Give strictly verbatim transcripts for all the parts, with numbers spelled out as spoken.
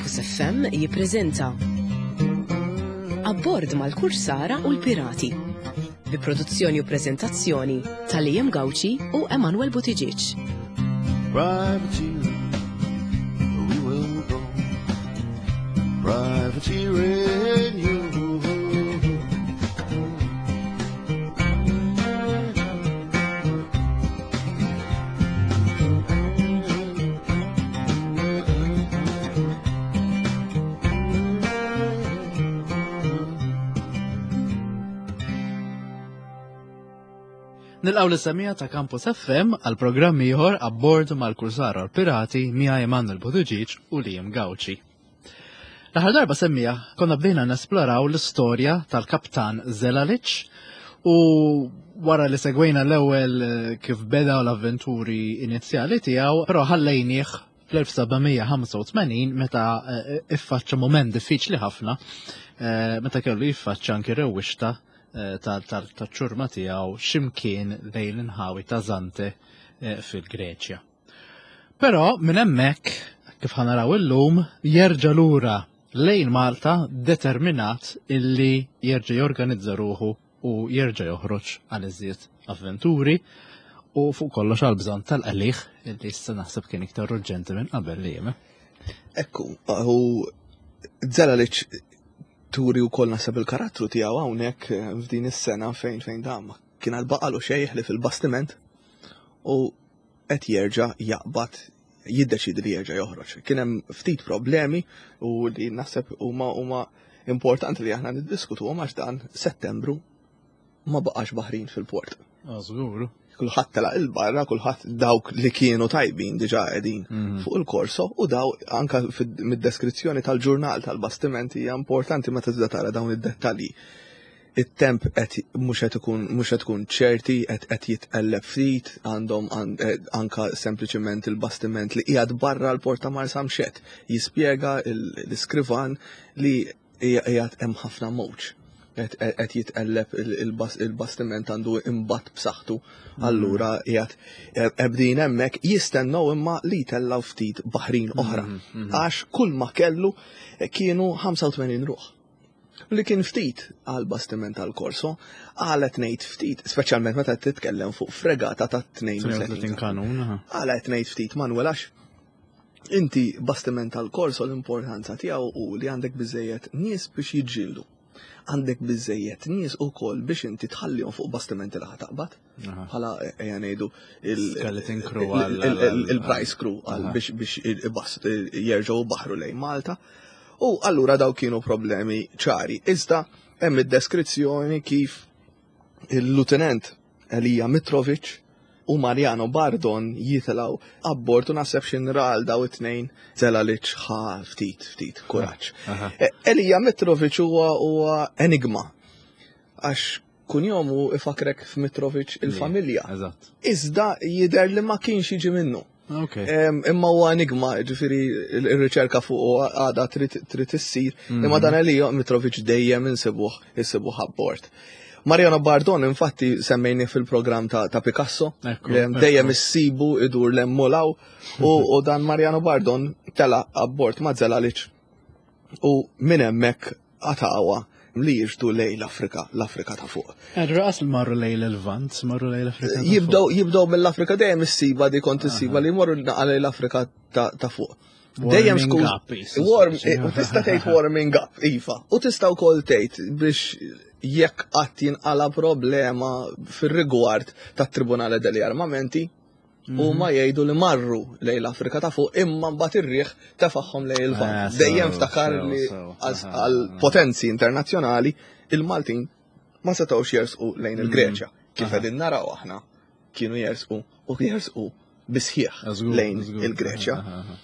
Campus F M jippreżenta Abbord mal-Kursara u l-Pirati, bi produzzjoni u preżentazzjoni ta' Liam Gauci u Emanuel Buttigieg. Privateering, we will go. Privateering, you. Nilqgħu lis-semmiegħa ta' Campus F M għal programm ieħor, Abbord mal-Kursara u l-Pirati, miegħi Emanuel Buttigieg u Liam Gauci. L-aħħar darba, semmiegħa, konna bdejna nesploraw l-istorja tal-kaptan Zelalic u wara li segwejna l-ewwel eh, kif beda l-avventuri inizjali tiegħu, però ħallejnieh fl-elf seba' mija ħamsa u tmenin meta eh, iffaċċa moment diffiċli ħafna, eh, meta kellu jiffaċċa anki rewwixta tal-ċurma tiegħu ximkien lejn l-inħawi ta' Zante eh, fil-Greċja. Però minn hemmhekk, kif ħa naraw illum, jerġa' lura lejn Malta determinat illi jerġa' jorganizza ruħu u jerġa' joħroġ għal iżjed avventuri u fuq kollox għal bżonn tal-qligħ illi issa naħseb kien iktar urġenti minn qabel li jem. Ekku, u Zelalic turi u koll naħseb il-karattru tiegħu hawnhekk eh, f'din is-sena fejn fejn dam kien għad baqalu xejn li fil-bastiment u qed jerġa' jaqbad, jiddeċidi li jerġa' joħroġ. Kien hemm ftit problemi u li naħseb huma huma importanti li aħna niddiskutu għax dan Settembru ma baqax baħrin fil-port. Żgur. Kulħadd telaq il-barra, kulħadd, dawk li kienu tajbin diġà qegħdin Mhm. fuq il-korso u daw anka fid- mid-deskrizzjoni tal-ġurnal tal-bastiment hija importanti meta tibda tara dawn id-dettalji. It-temp qed mhux qed ikun mhux qed tkun ċerti, qed qed jitqelleb ftit, għandhom an- eh, anka sempliċement il-bastiment li qiegħed barra l-port ta' Marsamxett jispjega l-iskrivan li qiegħed hemm ħafna mowġ. Qed qed jitqelleb il- il-bastiment għandu imbatt b'saħħtu. Allura qiegħed qegħdin hemmhekk jistennew imma li jtellgħu ftit baħrin oħra. Għax kull ma kellu kienu ħamsa u tmenin ruħ. Li kien ftit għal bastiment tal korso, għalet ngħid ftit, speċjalment meta titkellem fuq fregata ta' tnejn u tletin tnejn u tletin kanun. Aha. Għalet ngħid ftit, Manuel, għax inti bastiment tal-korso l-importanza tiegħu u li għandek biżejjed nies biex jiġġieldu. Għandek biżejjed nies ukoll biex inti tħallihom fuq bastimenti li taqbad. Aha. Bħala ejja ngħidu il- Skeleton crew il- għal- il- għal- il-prize crew għal Aha. biex biex il- jerġgħu baħru lejn Malta. U allura daw kienu problemi ċari. Iżda hemm id-deskrizzjoni kif il-Lieutenant Elija Mitrovic u Mariano Bardon jitilgħu abbord u naħseb xinral daw it-tnejn Zelalic ħa ftit ftit kuraġġ. Aha. E, Elija Mitrovic huwa huwa enigma għax kunjomu ifakrek f'Mitrovic il-familja. Eżatt. Iżda jidher li ma kienx jiġi minnu. Ok. Em, Imma huwa enigma, ġifieri il-riċerka fuq għada trid trid issir, imma dan Elija Mitrovic dejjem insibuh insibuh abbord. Mariano Bardon infatti semmejni fil-programm ta', ta Picasso, Ekku, em, ekku. dejjem issibu idur l-emmolaw u, u dan Mariano Bardon tela abbord ma' Zelalic u minn hemmhekk għatawa li jiġdu lejn l-Afrika, l-Afrika ta' fuq. Raqas marru lejn il-Lvant, marru lejn l-Afrika ta' Jibdew fuq. Jibdew mill-Afrika, dejjem issiba di kont issiba li jmorru naqa lejn l-Afrika ta' ta' fuq. Dejjem Warming skuż. up, jisu Warm, speċi. U tista' tgħid warming up, iva. U tista' wkoll tgħid biex jekk qatt jinqala problema fir-rigward tat-Tribunale degli Armamenti, u ma jgħidu li marru lejn l-Afrika ta' fuq imma mbagħad ir-riħ tefagħhom lejn il-Lvant. Eh, sew, Dejjem ftakar sew, li sew. għal Aha, għal potenzi internazzjonali il-Maltin ma setgħux jersqu lejn il-Greċja. Kif Aha. qegħdin naraw aħna, kienu jersqu u jersqu bisħieħ Żgur, lejn żgur. il-Greċja. Aha, aha.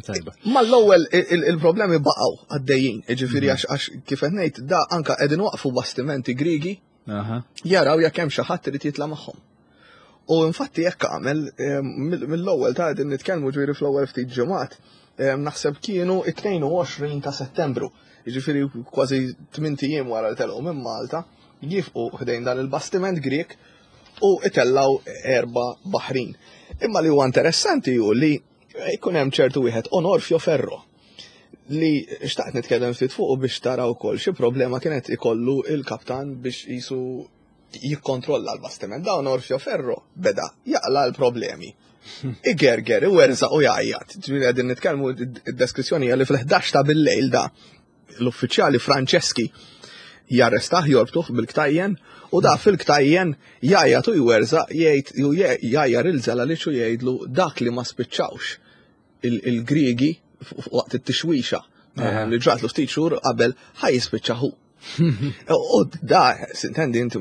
Tajba. Ma l-ewwel il- il-problemi baqgħu għaddejjin, jiġifieri għax għax kif qed ngħid da anka qegħdin waqfu bastimenti Grigi Aha. jaraw jekk hemm xi ħadd irid jitla' magħhom. U infatti jekk għamel eh, mill- mill-ewwel ta' qegħdin nitkellmu ġifieri fl-ewwel ftit ġimgħat, eh, naħseb kienu it-tnejn u għoxrin ta' Settembru, jiġifieri kważi tmint ijiem wara li telqu minn Malta, jifqu ħdejn dan il-bastiment Grek u itellaw erba' baħrin. Imma li huwa interessanti hu li jkun hemm ċertu wieħed Onorfio Ferro. Li xtaqt nitkellem ftit fuq biex tara wkoll xi problema kienet ikollu il-kaptan biex jisu jikkontrolla l-bastiment. Dawn Orfeo Ferro beda jaqla l-problemi. Igerger, iwerżaq u jgħajjat. Ġifieri qegħdin nitkellmu, id-deskrizzjoni hija li fil-ħdax ta' bil-lejl da l-uffiċjali Franċeski jarrestah, jorbtuh bil-ktajjen, u da fil-ktajjen jgħajjat u jwerżaq, jgħid, jgħajjar lil Zelalic u jgħidlu dak li ma spiċċawx il-Griegi waqt it-tixwixa eh, li ġratlu ftit xhur qabel, ħa jispiċċa hu. U da, s'intendi inti,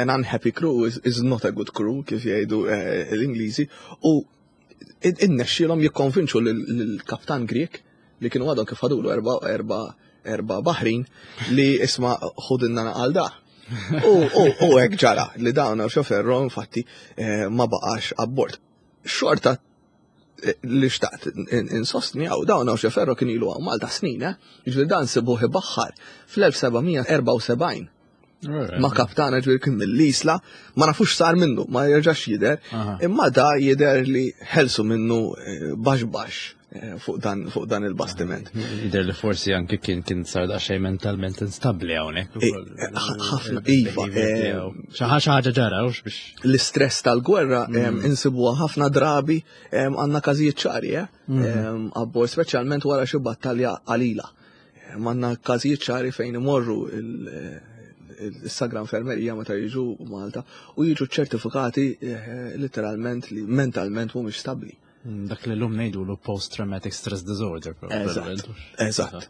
an unhappy crew is, is not a good crew, kif jgħidu eh, l-Ingliżi, u innexxielhom jikkonvinċu lill-kaptan Grek li kienu għadhom kif ħadulu erba' erba' erba' baħrin li isma' ħudinna għal da. U hekk ġara li dawn Orfeo Ferro infatti eh, ma baqax abbord. Xorta eh, li xtaqt insostni għaw dawn Orfeo Ferro kien ilu għaw Malta snin, eh? Ġifieri dan sibuh baħħar fl-elf seba' mija u erbgħa u sebgħin ma' kaptana, ġifieri kien mill-Isla, ma nafux sar minnu, ma jerġax jider, imma da jider li ħelsu minnu eh, baxx baxx eh, fuq dan, fuq dan il-bastiment. Jider li forsi anke kien kien sar daqsxejn mentalment instabli hawnhekk. Eh, ħafna, iva. Xi ħaġa ġara biex. L-istress tal-gwerra mm. insibuha ħafna drabi, għandna każijiet ċari, eh? Mm. Abbord, speċjalment wara xi battalja qalila. Għandna każijiet ċari fejn imorru il-Sagra Infermerija meta jiġu Malta u jiġu ċertifikati eh, literalment li mentalment mhumiex stabbli. Mm, dak li l-lum ngħidu l post-traumatic stress disorder. Eżatt, eżatt.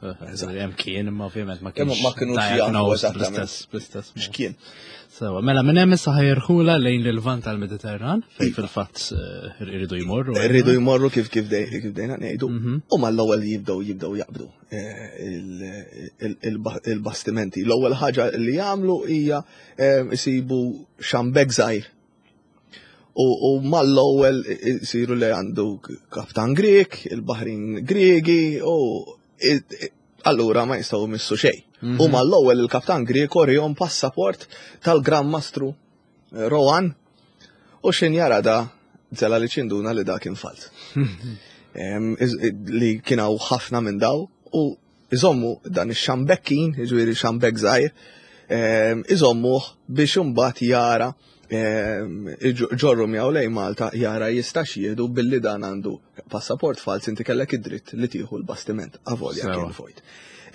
Hemm kien, imma ovvjament ma kienx. Ma kienux jafu eżattament bl-istess. X'kien. Sewa, mela minn hemm issa ħa jirħula lejn l-Lvant tal-Mediterran, fejn iva. fil-fatt eh, irridu jmorru. Irridu jmorru kif kif dejna ngħidu. Mhm. U mal-ewwel jibdew jibdew jaqbdu eh, il-bastimenti. L-ewwel ħaġa li jagħmlu hija eh, isibu xambek żgħir u mal-ewwel isiru li għandu kaptan Grek, il-baħrin Gregi u allura ma jistgħu missu xejn. U mhm. mal-ewwel il-kaptan Grek urihom passaport tal-Gran Mastru eh, Rohan u x'ħin jara da Zelalic induna li da kien falt. Li kien hawn ħafna minn daw u iżommu dan ix-xambekkin, jiġifieri xambek żgħir, iżommuh biex imbagħad jara ġorru miegħu lejn Malta, jara jistax jieħdu billi dan għandu passaport fals, inti kellek id-dritt li tieħu l-bastiment avolja kien vojt.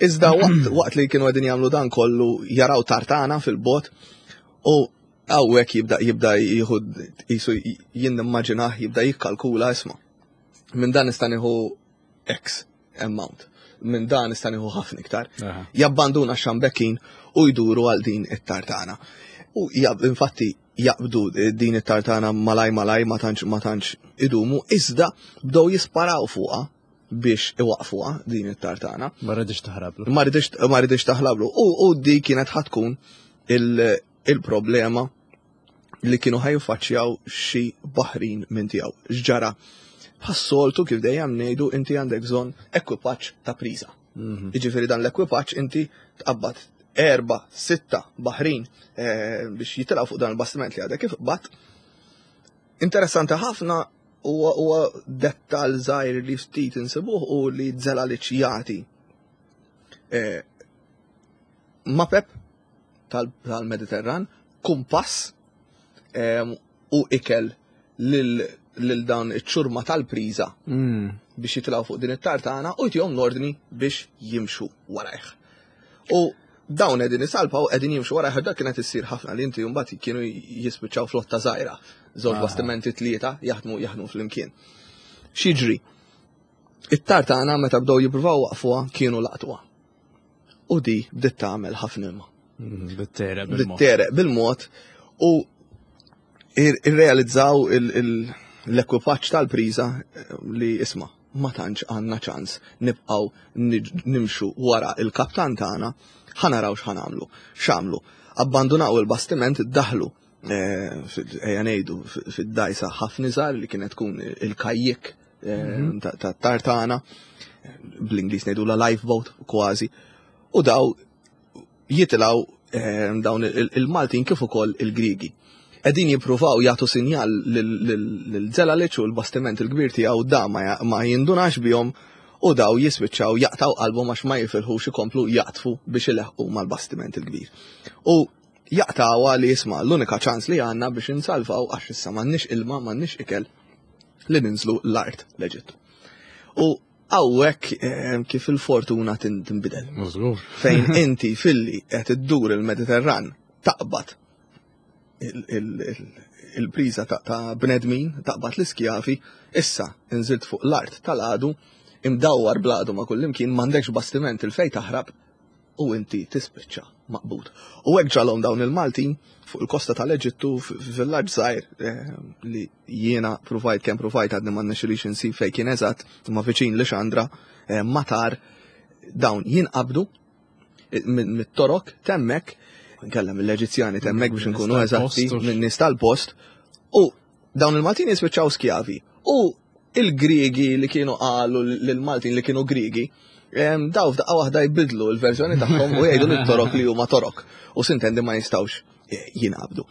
Iżda waqt, waqt li kienu qegħdin jagħmlu dan kollu jaraw tartana fil-bot u hawnhekk jibda jibda jieħu jisu jien nimmaġinah jibda jikkalkula, isma'. Minn dan nista' nieħu X amount. Minn dan nista' nieħu ħafna iktar. Aha. Jabbanduna xambekkin u jduru għal din it-tartana. U jab, infatti jaqbdu din it-tartana malaj malaj, ma tantx ma tantx idumu, iżda bdew jisparaw fuqha biex iwaqfuha din it-tartana. Ma rridx taħrablu. Ma ridix ma ridix taħlablu. U, u di kienet ħa tkun il- il-problema li kienu ħa jiffaċċjaw xi baħrin minn tiegħu. X'ġara? Bħas-soltu, kif dejjem ngħidu, inti għandek bżonn ekwipaġġ ta' priża. Mhm. Jiġifieri dan l-ekwipaġġ inti tqabbad erba, sitta baħrin eh, biex jitilgħu fuq dan il-bastiment li għadek kif bat. Interessanti ħafna huwa huwa dettal żgħir li ftit insibuh u li Zelalic jagħti eh, mapep tal- tal-Mediterran, kumpass em, u ikel lil lil dan iċ-ċurma tal-priża Mm. biex jitilgħu fuq din it-tartana u jtihom l-ordni biex jimxu warajh. U dawn qegħdin isalpaw, qegħdin jimxu warajh, dak kienet issir ħafna li inti mbagħad kienu jispiċċaw flotta żgħira, żewġ Ah. bastimenti, tlieta jaħdmu jaħdmu flimkien. X'jiġri? It-tartana meta bdew jippruvaw waqfuha kienu laqtuha. U di bdiet tagħmel ħafna ilma. Mm, Bit-tereq bil-mod. Bit-tereq bil-mod u ir- irrealizzaw il- il- l-ekwipaġġ tal-priża eh, li isma' ma tantx għandna ċans nibqgħu niġ- nimxu wara il-kaptan tagħna, ħa naraw x'ħa nagħmlu. X'għamlu? Abbandunaw il-bastiment, daħlu eh, fil- ejja ngħidu fi- fid-dajsa ħafna iżgħar li kienet tkun il-kajjik eh, ta' ta' tartana, bl-Ingliż ngħidu la lifeboat kważi, u daw jitilgħu eh, dawn il- il-Maltin kif ukoll il-Grigi. Qegħdin jippruvaw jagħtu sinjal lil Zelalic u l-bastiment il-kbir tiegħu, da ma ja- ma jindunax bihom U daw jispiċċaw jaqtaw qalbhom għax ma jifilħux ikomplu jaqtfu biex ileħqu mal-bastiment il-kbir. U jaqtawha li jisma' l-unika ċans li għandna biex insalvaw għax issa m'għandniex ilma, m'għandniex ikel li ninżlu l-art l-Eġittu. U hawnhekk eh, kif il-fortuna tinbidel. Fejn inti filli qed iddur il-Mediterran taqbad il-priża ta' bnedmin, taqbad l-iskjavi, issa inżilt fuq l-art tal-għadu, imdawwar bl-għadu ma' kullimkien, m'għandekx bastiment il-fej taħrab u inti tispiċċa maqbud. U hekk ġralhom dawn il-Maltin fuq il-kosta tal-Eġittu f'villaġġ żgħir eh, li jiena pruvajt kemm pruvajt għadni ma rnexxilix insib fejn kien eżatt, imma viċin Lixandra, eh, matar dawn jinqabdu eh, mit-Torok temmek, nkella mill-Eġizzjani temmek biex nkunu eżatti, minn nies tal-post, u dawn il-Maltin jispiċċaw skjavi. U il-Griegi li kienu qalu lill-Maltin li kienu Griegi, daw f'daqqa waħda jbidlu l-verżjoni tagħhom u jgħidu lit-Torok li huma Torok. U sintendi ma jistgħux jinqabdu.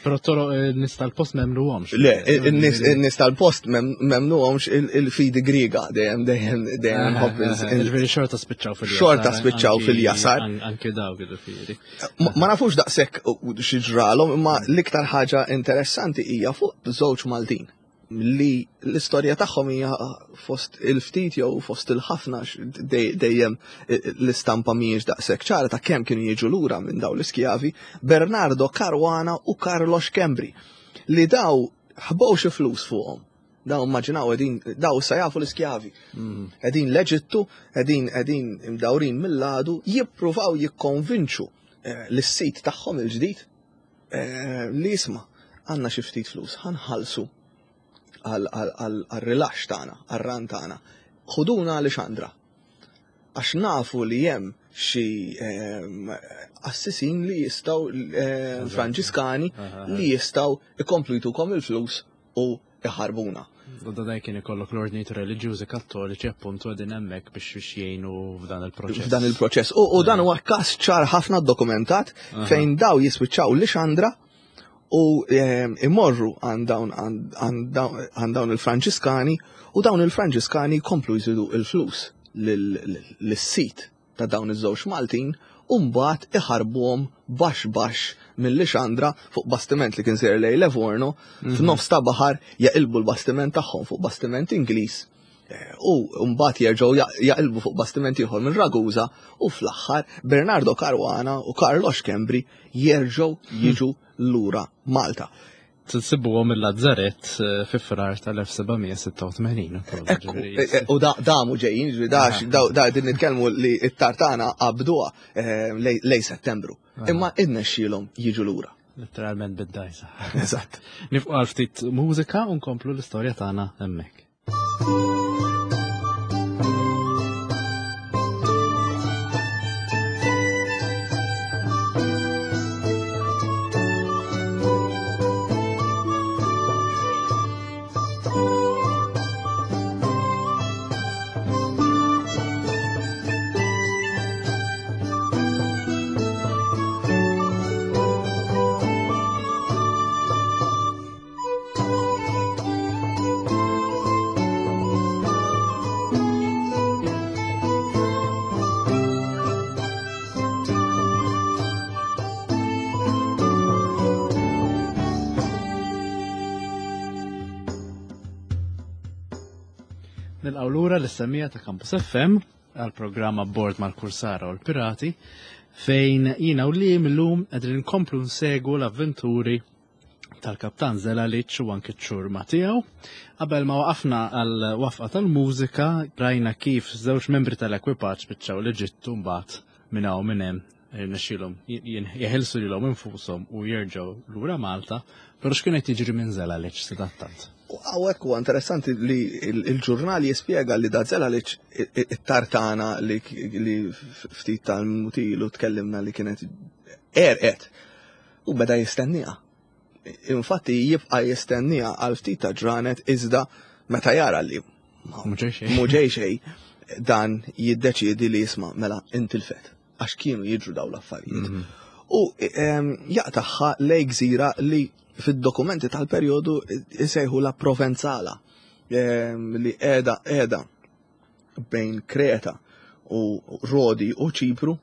Però Torok in-nies tal-post m'emmnuhomx. Le, in-nies tal-post m'emmnuhomx il-fidi Griega dejjem dejjem dejjem nħobb. Ġifieri xorta spiċċaw fil-jasar. Xorta spiċċaw fil-jasar. Anke dawk ġifieri. Ma nafux daqshekk xi ġralhom, imma l-iktar ħaġa interessanti hija fuq żewġ Maltin li l-istorja tagħhom hija fost il-ftit jew fost il-ħafna dejjem l-istampa mhijiex daqshekk ċara ta' kemm kienu jiġu lura minn dawn l-iskjavi, Bernardo Caruana u Carlo Schembri, li daw ħbow xi flus fuqhom. Daw immaġinaw qegħdin daw issa jafu l-iskjavi. Qegħdin l-Eġittu, qegħdin qegħdin imdawrin mill-għadu, jippruvaw jikkonvinċu lis-sit tagħhom il-ġdid li jisma' għandna xi ftit flus, ħanħallsu għal-rilax tagħna, għar-ran tagħna. Ħuduna Lixandra. Għax nafu li hemm xi assisin li jistgħu Franġiskani li jistgħu ikomplu jtukom il-flus u iħarbuna. U da kien ikollok l-ordnijiet reliġjużi kattoliċi appuntu qegħdin hemmhekk biex biex jgħinu f'dan il-proċess. F'dan il-proċess. U dan huwa każ ċar ħafna dokumentat fejn daw jispiċċaw Lixandra u imorru għand dawn il-Franġiskani u dawn il-Franġiskani komplu jżidu il-flus lis-sit ta' dawn iż-żewġ Maltin u mbagħad iħarbuhom baxx baxx mill-Lixandra fuq bastiment li kien sejjer lejn Livorno f'nofs ta' baħar jaqilbu l-bastiment tagħhom fuq bastiment Ingliż u mbagħad jerġgħu jaqilbu fuq bastiment ieħor minn Ragusa u fl-aħħar Bernardo Caruana u Carlo Schembri jerġgħu jiġu lura Malta. Tinsibuhom il-Lazzaret fi Frar tal-elf sebgħamija sitta u tmenin. U damu ġejjin, da qegħdin nitkellmu li t-tartana qabduha lej Settembru. Imma innexxielhom jiġu lura. Letteralment bid-dajsa. Eżatt. Nifqu għal ftit mużika u nkomplu l-istorja tagħna hemmhekk. Nilqgħu lura l-istemmija ta' Campus F M għal-programm Abbord mal-Kursara u l-Pirati, fejn jiena u li millum qegħdin nkomplu nsegwu l-avventuri tal-Kaptan Zelalic u anke ċ-ċurma tiegħu. Qabel ma waqafna għal wafqa tal-mużika, rajna kif żewġ membri tal-ekwipaġġ spiċċaw l-Eġittu mbagħad minn hawn minn hemm irnexxielhom jeħilsu lilhom infushom u jerġgħu lura Malta, però x'kien qed jiġri minn Zelalic sadattant? U hawnhekk huwa interessanti li il-ġurnal jispjega li da Zelalic it-tartana li ftit tal-mutilu tkellimna li kienet erqet u beda jistenniha. Infatti jibqa' jistenniha għal ftit ta' ġranet iżda meta jara li mhu ġej xejn, dan jiddeċiedi li jisma' mela intilfet għax kienu jiġru dawn l-affarijiet. U jaqtaħħa lej gżira li fid-dokumenti tal-perjodu isejħu la Provenzala, li qiegħda qiegħda bejn Kreta u Rodi u Ċipru,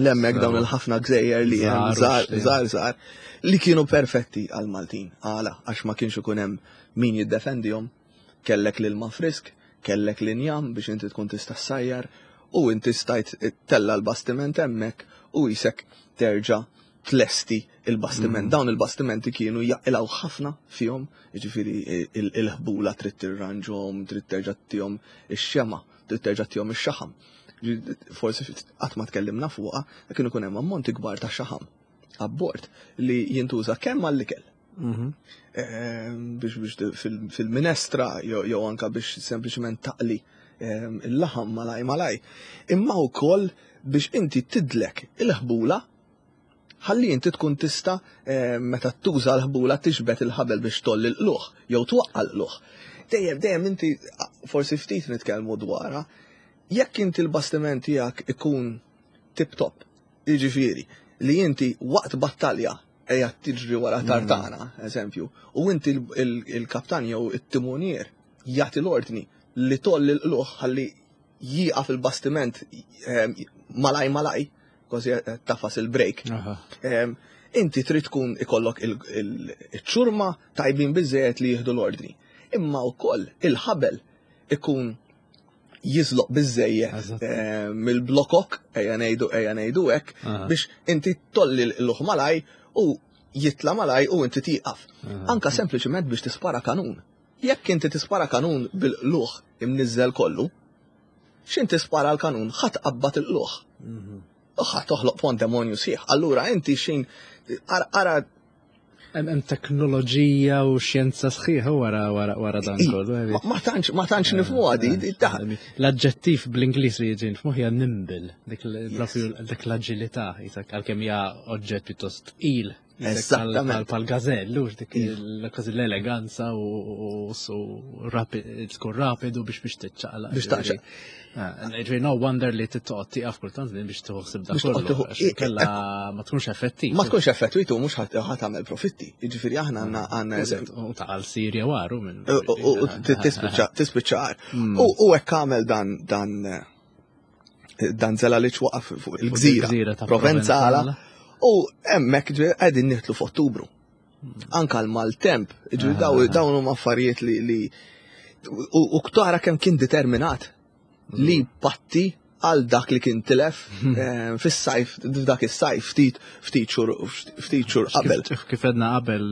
l-hemmhekk dawn il-ħafna gżejjer li hemm żgħar żgħar żgħar li kienu perfetti għal Maltin. Għala, għax ma kienx ikun hemm min jiddefendihom, kellek l-ilma frisk, kellek l-injam biex inti tkun tista' ssajjar u inti stajt tella l-bastiment hemmhekk u jisek terġa' tlesti il-bastiment. Mm. Dawn il-bastimenti kienu jaqilgħu ħafna fihom, jiġifieri il-ħbula trid tirranġhom, trid terġa' tihom ix-xema, trid terġa' tihom ix-xaħam. Forsi qatt ma tkellimna fuqha, kienu ikun hemm ammonti kbar ta' xaħam abbord li jintuża kemm għall-ikel. Mhm. Ehm, biex biex fil-minestra jew anka biex sempliċement taqli ehm, il-laħam malaj malaj. Imma wkoll biex inti tidlek il-ħbula ħalli inti tkun tista' ehm, meta tuża l-ħbula tixbet il-ħabel biex tolli l-qluħ jew twaqqa l-qluħ. Dejjem dejjem inti forsi ftit nitkellmu dwarha, jekk inti l-bastiment tiegħek ikun tip top, jiġifieri li inti waqt battalja ejja tiġri wara mm. tartana, eżempju, u inti il-kaptan jew it-timonier jagħti l-ordni li tolli l-qluħ ħalli jieqaf il-bastiment ehm, malaj malaj, kważi tafas il-brake. Ehm, inti trid tkun ikollok il-ċurma tajbin biżejjed li jieħdu l-ordni. Imma wkoll il-ħabel ikun jiżloq biżejjed eh, mill-blokok, ejja ngħidu ejja ngħidu hekk, biex inti tolli l-luħ malaj u jitla malaj u inti tieqaf. Anka sempliċement biex tispara kanun. Jekk inti tispara kanun bil-luħ imniżżel kollu, x'in tispara l-kanun ħadd qabbat il-luħ. Mhm. Ħa toħloq pandemonju sħiħ. Allura inti xin ara Hemm teknoloġija u xjenza sħiħa wara wara wara dan kollu. Ma tantx ma tantx nifhmu għadi. L-aġġettiv bl-Ingliż li jiġi nifhmu hija nimble, dik dik l-aġilità, għalkemm hija oġġett pjuttost tqil. Eżattament. Pal gazell, ux dik kważi l-eleganza u tkun rapidu biex biex tiċċaqla. Biex taċċaq. Ġifieri no wonder li tittoqgħod tieqaf kultant din biex tieħu dak kollu. Kella ma tkunx effettiv. Ma tkunx effettiv u mhux ħa tagħmel profitti. Jiġifieri aħna għandna għandna eżempju. U ta' għal Sirja waru minn. U tispiċċa mm. U hekk għamel dan dan dan zela li waqaf fuq il-gżira Provenzala. U hemmhekk qegħdin nieħtlu f'Ottubru. Anka l-maltemp, ġifieri dawn huma affarijiet li u ktara kemm kien determinat li patti għal dak li kien tilef eh, fis-sajf, f'dak is-sajf ftit ftit xhur ftit xhur qabel. Kif edna qabel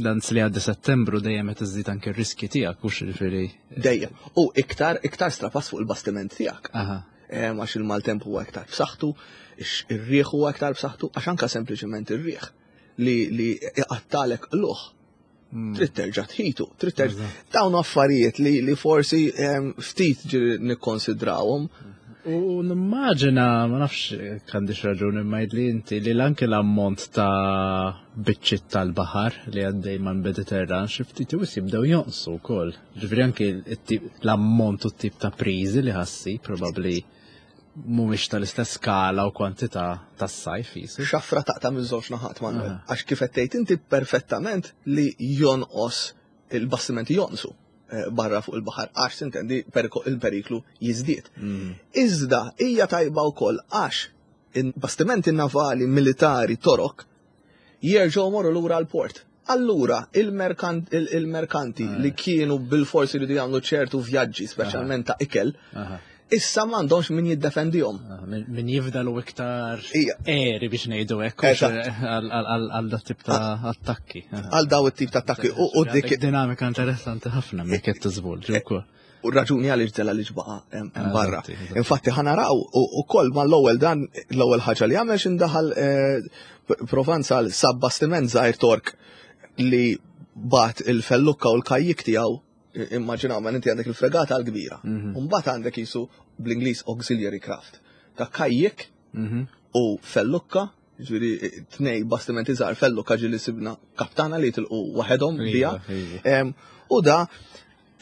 dan li għaddi Settembru dejjem qed iżid anke r-riski tiegħek hux jiġifieri. Dejjem. U iktar iktar strapass fuq il-bastiment tiegħek. Għax il-maltemp huwa iktar b'saħħtu, ir-riħ huwa iktar b'saħħtu, għax anka sempliċement ir-riħ li li iqattalek luħ. Hmm. Trid terġa' tħitu, trid terġa' dawn affarijiet li li forsi ftit ġiri nikkonsidrawhom. U nimmaġina, ma nafx għandix raġun imma li inti li anke l-ammont ta' biċċiet tal-baħar li għaddej man Mediterran xi ftit wis jibdew jonqsu wkoll. Ġifieri anke l-ammont u t-tip ta' priżi li ħassi probabbli mhumiex tal-istess skala u kwantità tas-sajf jisu. Xafra taqta' minn żewġ naħat Manuel. Għax kif qed tgħid inti perfettament li jonqos il-bastimenti jonqsu eh, barra fuq il-baħar għax tintendi il-periklu jiżdied. Mm. Iżda hija tajba wkoll għax il-bastimenti navali militari torok jerġgħu morru lura l-port. Allura, il-merkanti li kienu bil-forsi li jagħmlu ċertu vjaġġi, speċjalment ta' ikel, issa m'għandhomx min jiddefendihom. Min jifdalu iktar eri biex ngħidu hekk għal dat tip ta' attakki. Għal daw it-tip ta' attakki. U dik dinamika interessanti ħafna minn qed tiżvolġi wkoll. U raġuni għaliex ġela li ġbaqa hemm barra. Infatti ħa naraw ukoll ma l-ewwel dan l-ewwel ħaġa li għamel x'indaħal Provanzal sab bastiment żgħir Tork li bat il-fellukka u l-kajjik tiegħu. Immaġinaw, ma inti għandek il-fregata l-kbira. Mhm. Mbagħad għandek jisu bl-Ingliż auxiliary craft. Ta' kajjik mhm. u fellukka, ġifieri tnej bastimenti żgħar fellukka ġieli sibna kaptana li tilqu waħedhom bija. U da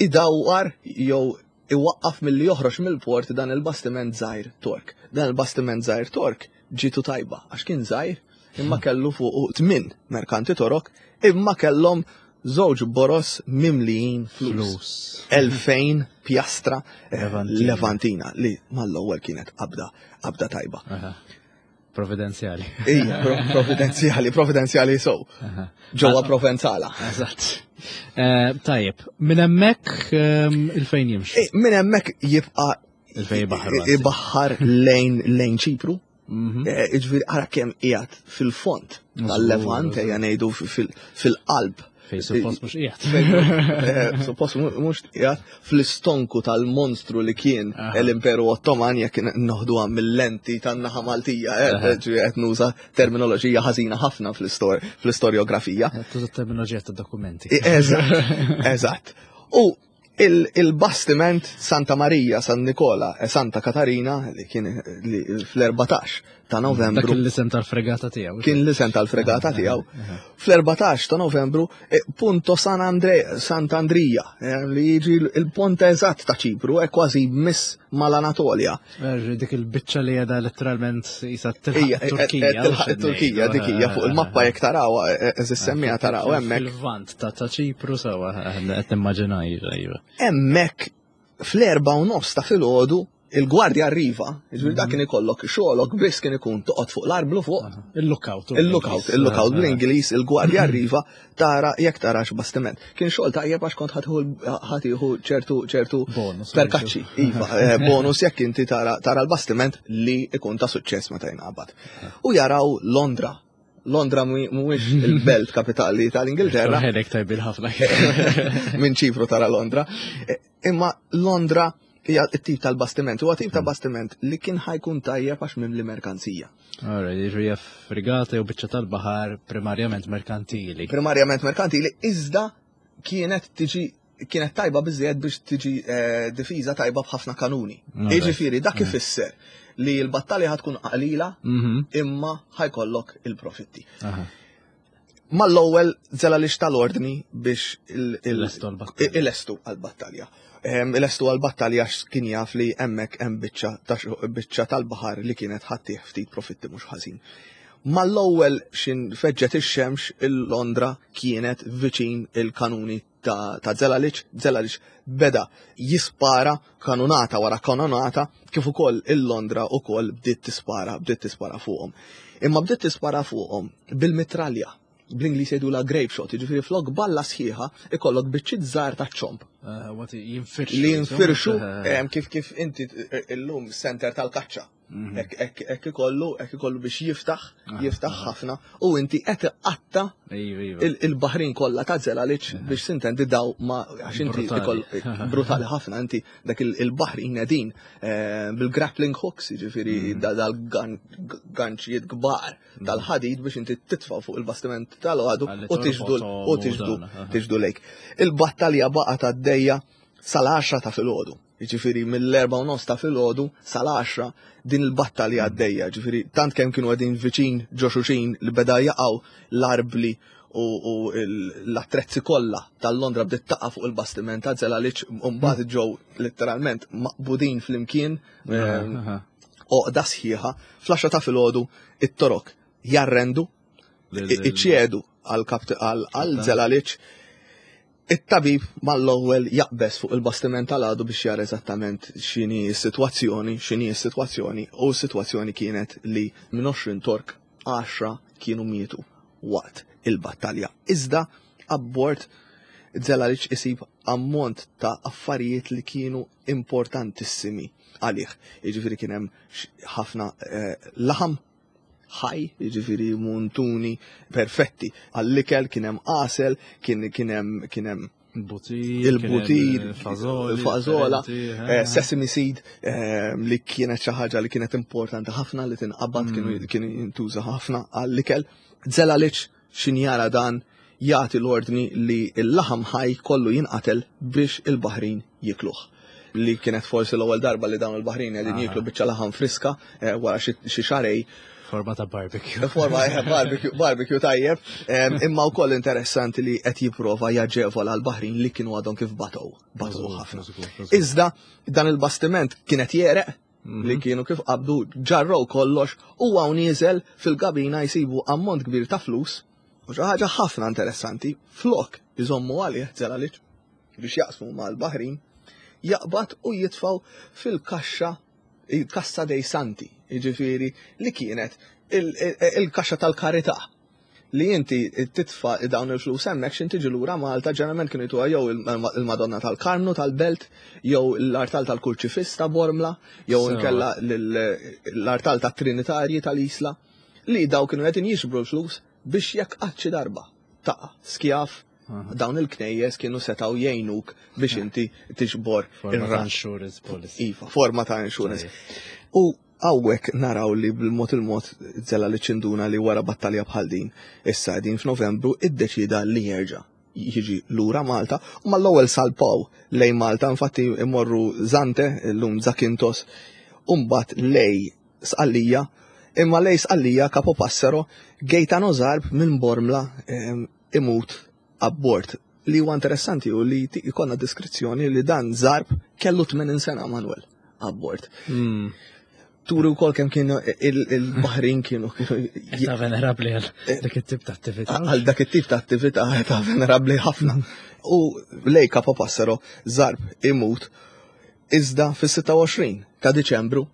idawwar jew iwaqqaf milli joħroġ mill-port dan il-bastiment żgħir Tork. Dan il-bastiment żgħir Tork ġitu tajba għax kien żgħir imma kellu fuq tmien merkanti Torok imma kellhom żewġ boros mimlijin flus. Flus. Elfejn pjastra eh, Levantina. Levantina li mal-ewwel kienet qabda qabda tajba. Aha. Providenzjali. Ija, pro- providenzjali, providenzjali so. Aha. Ġewwa Provenzala. Eżatt. Eh, Tajjeb, minn hemmhekk ehm, il-fejn jimxi. Eh, Minn hemmhekk jibqa' Il-fejn ibaħħar, anzi. ibaħħar lejn lejn Ċipru. Mhm. Eh, Jiġifieri ara kemm qiegħed fil-fond tal-Levant, ejja ngħidu fil- fil-qalb. Fejn suppost mhux qiegħed. Eh, Suppost mu- mhux qiegħed fl-istonku tal-monstru li kien Aha. l-Imperu Ottoman jekk noħduha mill-lenti tan-naħa Maltija, eh, Aha. ġifieri qed nuża terminoloġija ħażina ħafna fl-istor- fl-istorjografija. Tuża terminoloġija ta' dokumenti. Eżatt, eżatt. U il- il-bastiment Santa Maria, San Nikola e Santa Katarina li kien li fl-erbatax ta' Dak Novembru l-isem tal-fregata tiegħu. kien l-isem tal-fregata tiegħu. Fl-erbatax ta' Novembru eh, punto San Andre, Sant'Andrija eh, li jiġi il-ponte eżatt ta' Ċipru e kważi miss mal-Anatolja. Eh, Dik il-biċċa li għedha letteralment jisa tilħaq Ija, eh, eh, Turkija. tilħaq it-Turkija dik hija fuq il-mappa jekk taraw, eżis semmija taraw hemmhekk. Fil-vant ta' ta' Ċipru sewa qed nimmaġina iva, iva. Hemmhekk fl-erba u nofs ta' filgħodu il-gwardja arriva, jiġifieri dak kien ikollok xogħolok biss kien ikun toqgħod fuq l-arblu fuq, Il-lookout. il-lookout, il-lookout bl-Ingliż, il-gwardja arriva tara jekk tarax bastiment. Kien xogħol tajjeb għax kont ħatiħu ċertu ċertu Bonus. perkaċċi, iva, eh, bonus jekk inti tara tara l-bastiment li ikun ta' suċċess meta jinqabad. U jaraw Londra. Londra mhu- mhuwiex il-belt kapitali tal-Ingilterra, Ħelek tajbil ħafna. minn Ċipru tara Londra. Eh, Imma Londra hija t-tip tal-bastiment, huwa tip ta' bastiment li kien ħajkun tajjeb għax mimli merkanzija. Alright, jiġri hija fregata jew biċċa tal-baħar primarjament merkantili. Primarjament merkantili, iżda kienet tiġi kienet tajba biżejjed biex tiġi eh, difiża tajba b'ħafna kanuni. Alright. Jiġifieri dak ifisser li l-battalja ħatkun qalila Mhm. imma ħajkollok il-profitti. Aha. Mal-ewwel Zelalic tal-ordni biex il- il- Ilestu għall-battalja. Ilestu għall-battalja. Em, Ilestu għall-battalja għax kien jaf li hemmhekk hemm biċċa ta' xo- biċċa tal-baħar li kienet ħattih ftit profitti mhux ħażin. Mal-ewwel xin feġġet ix-xemx il-Londra kienet viċin il-kanuni ta', ta' Zelalic, Zelalic beda jispara kanunata wara kanunata kif ukoll il-Londra ukoll bdiet tispara, bdiet tispara fuqhom. Imma bdiet tispara fuqhom bil-mitralja, bl-Ingliż jgħidula grape shot, jiġifieri flok balla sħiħa ikollok biċċiet żgħar ta' ċomb Eh, What jinfirxu. li jinfirxu Eh, em, kif kif inti illum center tal-kaċċa. Mhm. Hekk hekk hekk ikollu hekk ikollu biex jiftaħ, jiftaħ ħafna u inti qed iqatta Iva, iva. il- il-baħrin kollha ta' Zelalic biex sintendi daw ma għax inti Brutali. ikoll brutali ħafna inti dak il- il-baħrin qegħdin eh, bil-grappling hooks jiġifieri Mhm. da- dal-ganċijiet kbar tal-ħadid biex inti titfa' fuq il-bastiment tal-għadu Għalli u tiġdu torbothom u u tiġdu dan, aha. tiġdu lejk. Il-battalja baqgħet għaddejja sal-għaxra ta' filgħodu. Jiġifieri mill-erba' u nofs ta' filgħodu sal-għaxra din il-battalja għaddejja. Jiġifieri tant kemm kienu qegħdin viċin ġo xulxin li beda jaqgħu l-arbli u, u l- l-attrezzi kollha tal-Londra bdiet taqa' fuq il-bastiment ta' Zelalic u mbagħad ġew letteralment maqbudin flimkien ehm, Aha. oqda sħiħa fl-għaxra ta' filgħodu it-torok jarrendu iċċedu għal Zelalic. It-tabib mal-ewwel jaqbes fuq il-bastiment tal-għadu biex jara eżattament x'inhi s-sitwazzjoni, x'inhi s-sitwazzjoni, u s-sitwazzjoni kienet li minn għoxrin Tork għaxra kienu mietu waqt il-battalja. Iżda abbord Zelalic isib ammont ta' affarijiet li kienu importantissimi għalih. Jiġifieri kien hemm x- ħafna eh, laħam ħaj, jiġifieri muntuni perfetti. Għall-ikel kien hemm għasel, kien kien hemm kien hemm Il-butir. il-butir, il-fażola, il-fażola, eh, sesame seed eh, li kienet xi ħaġa li kienet importanti ħafna li tinqabad kienu kienu jintuża ħafna għall-ikel. Zelalic xin jara dan jagħti l-ordni li l-laħam ħaj kollu jinqatel biex il-baħrin jikluh. Li kienet forsi l-ewwel darba li dawn il-baħrin qegħdin jiklu biċċa laħam friska eh, wara xi xi xarej Forma ta' barbecue. Forma eh, barbecue, barbecue tajjeb, Em, imma wkoll interessanti li qed jipprova jaġevola l-baħrin li kienu għadhom kif batow, batow ħafna. Iżda dan il-bastiment kienet jereq li kienu kif qabdu ġarrow kollox u hawn nieżel fil-gabina jsibu ammont kbir ta' flus U xi ħaġa ħafna interessanti, flok iżommu għalih Zelalic biex jaqsmu mal-Baħrin, jaqbad u jitfaw fil-kaxxa, il-Cassa dei Santi, jiġifieri li kienet il-kaxxa tal-karità li inti titfa dawn il-flus hemmhekk x'inti tiġi lura Malta, ġeneralment kienu jtuha jew il-Madonna tal-Karmnu tal-Belt, jew l-artal tal-Kurċifiss ta' Bormla, jew inkella l-artal tat-Trinitarji tal-Isla, li daw kienu qegħdin jixbru l-flus biex jekk qatt xi darba taqa' skjaf, dawn il-knejjes kienu setaw jgħinuk biex inti tiġbor Forma ta' insurance policy. Iva, forma ta' insurance. U hawnhekk naraw li bil-mod il-mod Zelalic induna li wara battalja bħal din, issa din f'Novembru iddeċida li jerġa' jiġi lura Malta u mal-ewwel salpaw lejn Malta, infatti imorru Zante, illum Zakintos, u mbagħad lejn Sqallija, imma lejn Sqallija Capo Passero, Gaetano Zarb minn Bormla imut abbord. Li huwa interessanti u li jkollna deskrizzjoni li dan Zarb kellu tmenin sena, Manuel, abbord. Turi wkoll kemm kienu il-Baħrin kienu. Ta' venerabli għal dak it-tip ta' attività. Għal dak it-tip ta' attività ta' venerabli ħafna. U lejn Capo Passero Zarb imut, iżda fis-sitta u għoxrin ta' Diċembru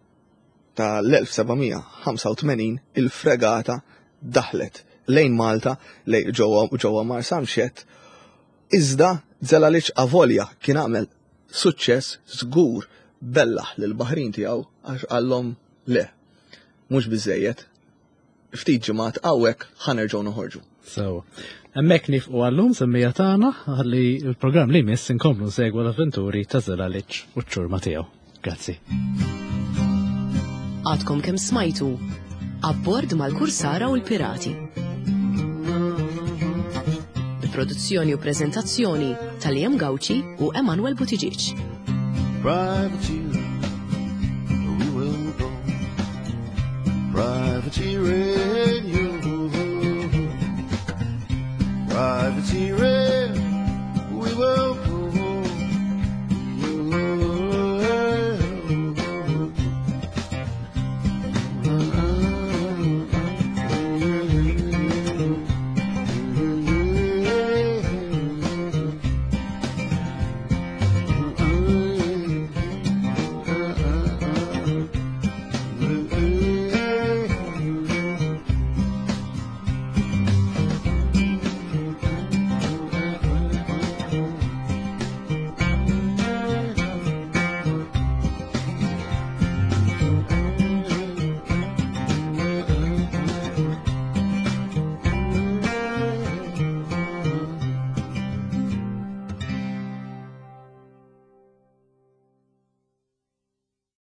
tal-elf seba' mija ħamsa u tmenin il-fregata daħlet lejn Malta, lejn ġewwa Marsamxett, iżda Zelalic avolja kien għamel suċċess żgur bellaħ lil baħrin tiegħu għax qallhom le, mhux biżejjed, ftit ġimgħat hawnhekk, ħa nerġgħu noħorġu. So, hemmhekk nieqfu għallum, semmiegħa tagħna, ħalli il-programm li jmiss inkomplu nsegwu l-avventuri ta' Zelalic u ċ-ċurma tiegħu. Grazzi. Għadkom kemm smajtu Abbord mal-Kursara u l-Pirati. Produzzjoni u prezentazzjoni ta' Liam Gauci u Emanuel Buttigieg. Privateer, we will go. Privateering.